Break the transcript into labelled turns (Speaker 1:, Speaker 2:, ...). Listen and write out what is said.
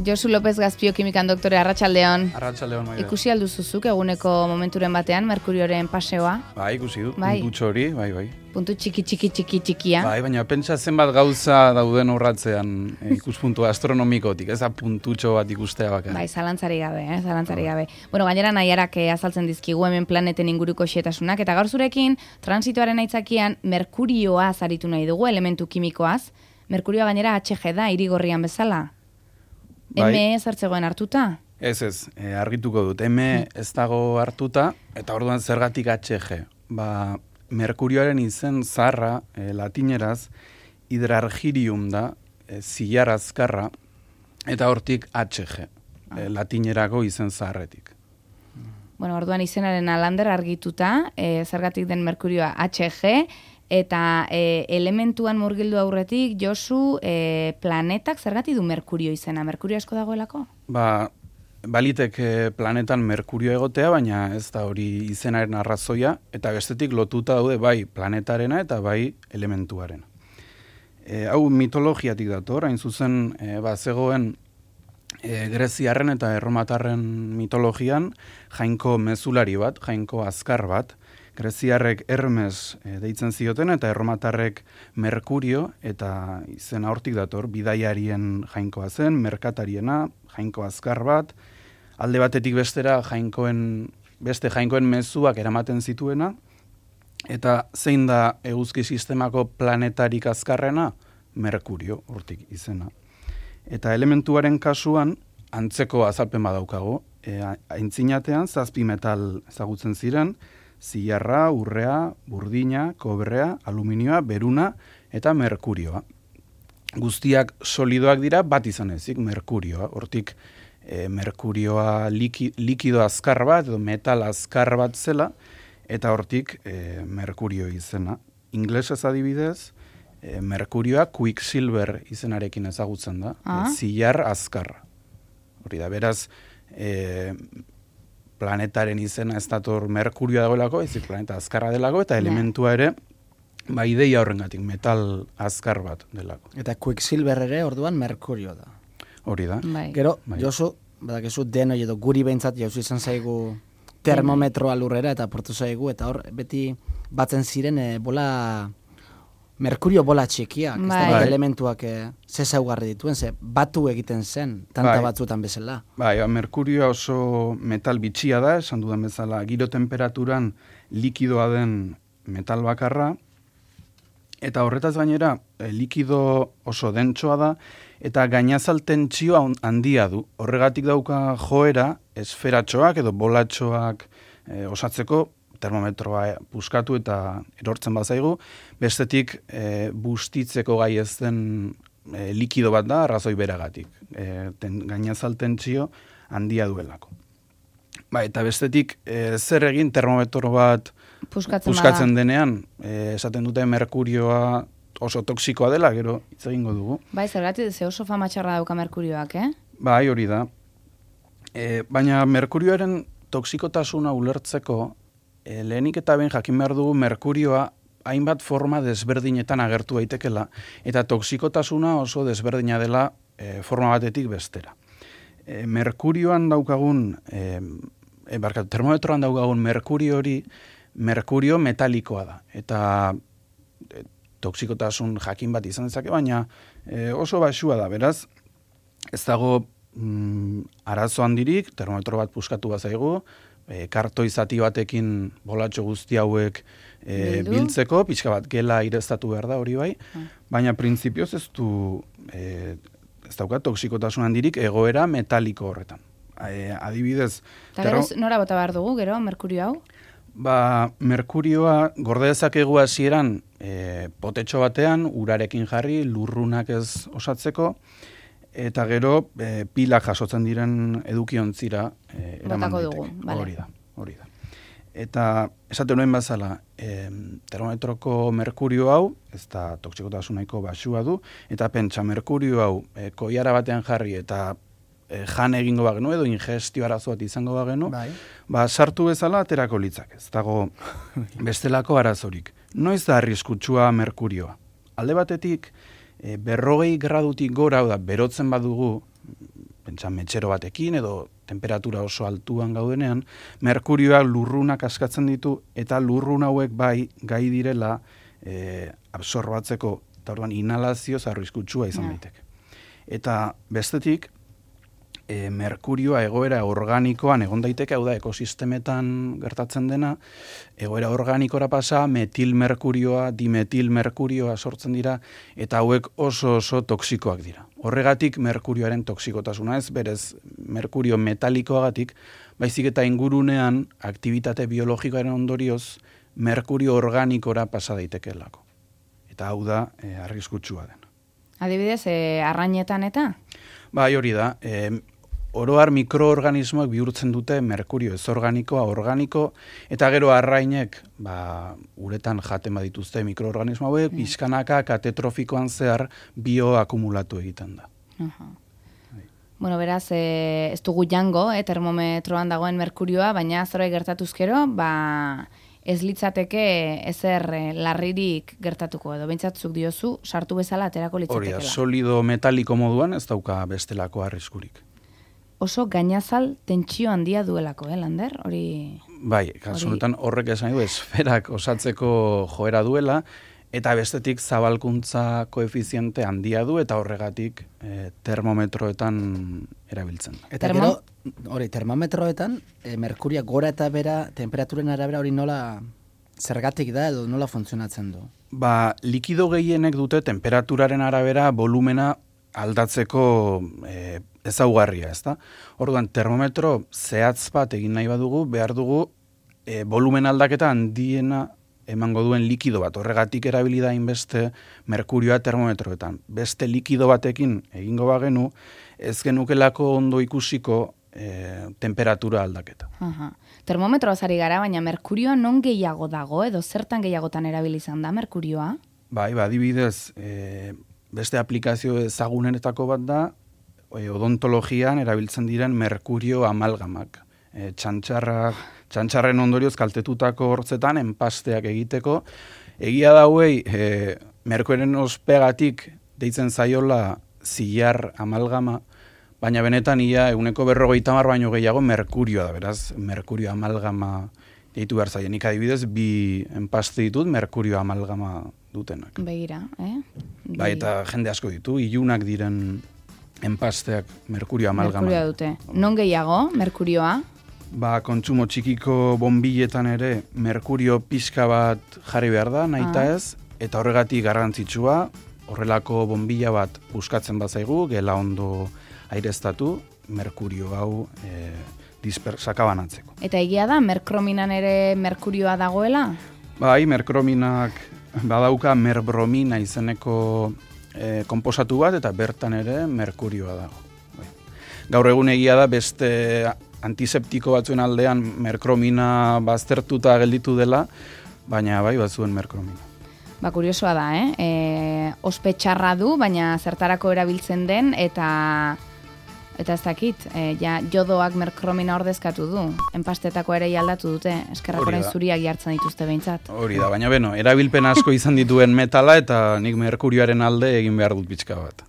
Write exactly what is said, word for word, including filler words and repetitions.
Speaker 1: Josu López Gazpio kimikan doktore, arratsaldeon.
Speaker 2: Arratsaldeon, Maide.
Speaker 1: Ikusi alduzuzuk eguneko momenturen batean Merkurioren paseoa?
Speaker 2: Bai, ikusi dut,
Speaker 1: bai.
Speaker 2: puntutxo hori, bai, bai.
Speaker 1: Puntu txiki txiki txiki txikia.
Speaker 2: Bai, baina pentsa zenbat gauza dauden horratzean e, ikuspuntu astronomikotik, ez da puntutxo bat ikustea bakarrik.
Speaker 1: Bai, zalantzari gabe, eh, zalantzari gabe. Bueno, gainera nahiarak azaltzen dizkigu hemen planeten inguruko xetasunak, eta gaur zurekin, transitoaren aitzakian, Merkurioa zaritu nahi dugu, elementu kimikoaz. Merkurioa gainera H G da, irigorrian bezala.
Speaker 2: Bai.
Speaker 1: M zertzegoen hartuta?
Speaker 2: Ez ez, e, argituko dut. M ez dago hartuta, eta orduan zergatik H G. Ba, Merkurioaren izen zaharra, e, latineraz, hidrargirium da, e, zilar azkarra, eta hortik H G, e, latinerako izen zaharretik.
Speaker 1: Bueno, orduan izenaren alander argituta, e, zergatik den Merkurioa H G, eta e, elementuan murgildu aurretik, Josu, e, planetak zergatik du Merkurio izena? Merkurio asko dagoelako?
Speaker 2: Ba, balitek planetan Merkurio egotea, baina ez da hori izenaren arrazoia, eta bestetik lotuta daude bai planetarena eta bai elementuarena. E, hau mitologiatik dator, hain zuzen, e, ba, zegoen e, greziarren eta erromatarren mitologian jainko mezulari bat, jainko azkar bat, greziarrek Hermes e, deitzen zioten eta erromatarrek Merkurio, eta izena hortik dator, bidaiarien jainkoa zen, merkatariena, jainko azkar bat, alde batetik bestera jainkoen, beste jainkoen mezuak eramaten zituena, eta zein da eguzki sistemako planetarik azkarrena? Merkurio, hortik izena. Eta elementuaren kasuan, antzeko azalpen badaukago, e, aintzinatean zazpi metal ezagutzen ziren, zilarra, urrea, burdina, kobrea, aluminioa, beruna eta merkurioa. Guztiak solidoak dira, bat izan ezik, merkurioa. Hortik, e, merkurioa liki, likido azkar bat, edo metal azkar bat zela, eta hortik e, merkurio izena. Inglesez adibidez, e, merkurioa quicksilver izenarekin ezagutzen da, ah. e, zilar azkarra. Hori da, beraz, e, planetaren izena ez dator Merkurioa dagoelako, ezik planeta azkarra delako, eta elementua ere, ba ideia horrengatik, metal azkar bat delako.
Speaker 3: Eta Quicksilver ere orduan Merkurio da.
Speaker 2: Hori da.
Speaker 1: Bai.
Speaker 3: Gero,
Speaker 2: bai.
Speaker 3: Josu, badakizu denoi edo guri behintzat jauzu izan zaigu termometroa lurrera eta portu zaigu, eta hor beti batzen ziren e, bola... Merkurio bola txikiak, ez da
Speaker 2: bai.
Speaker 3: elementuak e, ze zaugarri dituen, ze batu egiten zen, tanta bai. batzutan bezala.
Speaker 2: Bai, Merkurioa oso metal bitxia da, esan dudan bezala, giro temperaturan likidoa den metal bakarra, eta horretaz gainera, e, likido oso dentsoa da, eta gainazal tentsio handia du. Horregatik dauka joera, esferatxoak edo bolatxoak e, osatzeko, termometroa puskatu eta erortzen bazaigu, bestetik e, bustitzeko gai ez den e, likido bat da, arrazoi beragatik. E, ten, gainazal tentsio handia duelako. Ba, eta bestetik, e, zer egin termometro bat
Speaker 1: puskatzen,
Speaker 2: puskatzen denean, e, esaten dute Merkurioa oso toksikoa dela, gero hitz egingo dugu.
Speaker 1: Bai, zergatik, ze oso fama txarra dauka Merkurioak, eh?
Speaker 2: Bai, hori da. E, baina Merkurioaren toksikotasuna ulertzeko, E, lehenik eta ben jakin behar dugu Merkurioa hainbat forma desberdinetan agertu daitekela, eta toksikotasuna oso desberdina dela e, forma batetik bestera. E, Merkurioan daukagun, e, e, barkatu, termometroan daukagun Merkurio hori, Merkurio metalikoa da, eta e, toksikotasun jakin bat izan dezake, baina e, oso baxua da, beraz, ez dago mm, arazo handirik, termometro bat puskatu bazaigu, E, kartoi zati batekin bolatxo guzti hauek e, biltzeko, pixka bat gela ireztatu behar da hori bai, ah. baina printzipioz ez du, e, ez dauka toksikotasun handirik egoera metaliko horretan. E, adibidez...
Speaker 1: Eta gero nora bota behar dugu, gero, Merkurio hau?
Speaker 2: Ba, Merkurioa gorde dezakegu hasieran e, potetxo batean, urarekin jarri, lurrunak ez osatzeko, eta gero e, pilak jasotzen diren edukiontzira e, eraman daiteke.
Speaker 1: Vale.
Speaker 2: Hori da, hori da. Eta esaten nuen bazala, e, termometroko Merkurio hau, ez da toksikotasun nahiko baxua du, eta pentsa Merkurio hau e, koiara batean jarri eta e, jan egingo bagenu edo ingestio arazo bat izango bagenu,
Speaker 3: bai.
Speaker 2: ba sartu bezala aterako litzak. Ez dago bestelako arazorik. Noiz da arriskutsua Merkurioa? Alde batetik, E, berrogei gradutik gora, da, berotzen badugu, pentsa metxero batekin edo temperatura oso altuan gaudenean, merkurioa lurrunak askatzen ditu eta lurrun hauek bai gai direla e, absorbatzeko, eta orduan inhalazioz arriskutsua izan daiteke. Eta bestetik, e, merkurioa egoera organikoan egon daiteke, hau da ekosistemetan gertatzen dena, egoera organikora pasa, metilmerkurioa, dimetilmerkurioa sortzen dira, eta hauek oso oso toksikoak dira. Horregatik merkurioaren toksikotasuna ez, berez merkurio metalikoagatik, baizik eta ingurunean aktibitate biologikoaren ondorioz merkurio organikora pasa daitekeelako. Eta hau da e, arriskutsua den.
Speaker 1: Adibidez, e, arrainetan eta?
Speaker 2: Bai, hori da. E, oroar mikroorganismoak bihurtzen dute merkurio ez organikoa, organiko, eta gero arrainek, ba, uretan jaten badituzte mikroorganismo hauek, mm. pixkanaka katetrofikoan zehar bioakumulatu egiten da.
Speaker 1: Uh-huh. Bueno, beraz, e, ez dugu jango, e, termometroan dagoen merkurioa, baina zerbait gertatuzkero, ba, ez litzateke ezer e, larririk gertatuko edo, bentsatzuk diozu, sartu bezala aterako litzatekela.
Speaker 2: Hori da, solido metaliko moduan ez dauka bestelako arriskurik.
Speaker 1: Oso gainazal tentsio handia duelako, eh, Lander? Hori...
Speaker 2: Bai, kasunetan horrek esan du, esferak osatzeko joera duela, eta bestetik zabalkuntza koefiziente handia du, eta horregatik e, termometroetan erabiltzen.
Speaker 3: Eta
Speaker 1: Termo?
Speaker 3: gero, hori, termometroetan, e, merkuria gora eta bera, temperaturen arabera hori nola zergatik da edo nola funtzionatzen du?
Speaker 2: Ba, likido gehienek dute temperaturaren arabera volumena aldatzeko e, ezaugarria, ezta? Orduan, termometro zehatz bat egin nahi badugu, behar dugu e, volumen aldaketa handiena emango duen likido bat. Horregatik erabili da inbeste merkurioa termometroetan. Beste likido batekin egingo bagenu, ez genukelako ondo ikusiko e, temperatura aldaketa.
Speaker 1: Aha. Termometroa zari gara, baina merkurioa non gehiago dago, edo zertan gehiagotan erabili izan da merkurioa?
Speaker 2: Bai, ba, adibidez, e, beste aplikazio ezagunenetako bat da, e, odontologian erabiltzen diren merkurio amalgamak. E, txantxarrak, txantxarren ondorioz kaltetutako hortzetan enpasteak egiteko. Egia dauei, e, merkurioaren ospegatik deitzen zaiola zilar amalgama, baina benetan ia eguneko berrogeita hamar baino gehiago merkurioa da, beraz, merkurio amalgama deitu behar zaien. Nik adibidez, bi enpaste ditut merkurio amalgama dutenak.
Speaker 1: Begira, eh?
Speaker 2: Bai, eta jende asko ditu, ilunak diren enpasteak merkurio amalgama.
Speaker 1: Merkurioa dute. Non gehiago, merkurioa?
Speaker 2: Ba, kontsumo txikiko bonbilletan ere merkurio pixka bat jarri behar da, nahita
Speaker 1: ah.
Speaker 2: ez, eta horregatik garrantzitsua, horrelako bonbilla bat puskatzen bazaigu, gela ondo aireztatu, merkurio hau e, sakabanantzeko.
Speaker 1: Eta egia da, merkrominan ere merkurioa dagoela?
Speaker 2: Bai, merkrominak badauka merbromina izeneko e, konposatu bat, eta bertan ere merkurioa dago. Bai. Gaur egun egia da beste antiseptiko batzuen aldean merkromina baztertuta gelditu dela, baina bai bazuen merkromina.
Speaker 1: Ba, kuriosoa da, eh? E, ospe txarra du, baina zertarako erabiltzen den, eta eta ez dakit, e, ja, jodoak merkromina ordezkatu du. Enpastetako ere aldatu dute, eskerrak orain zuriak jartzen dituzte behintzat.
Speaker 2: Hori da, baina beno, erabilpen asko izan dituen metala, eta nik merkurioaren alde egin behar dut pixka bat.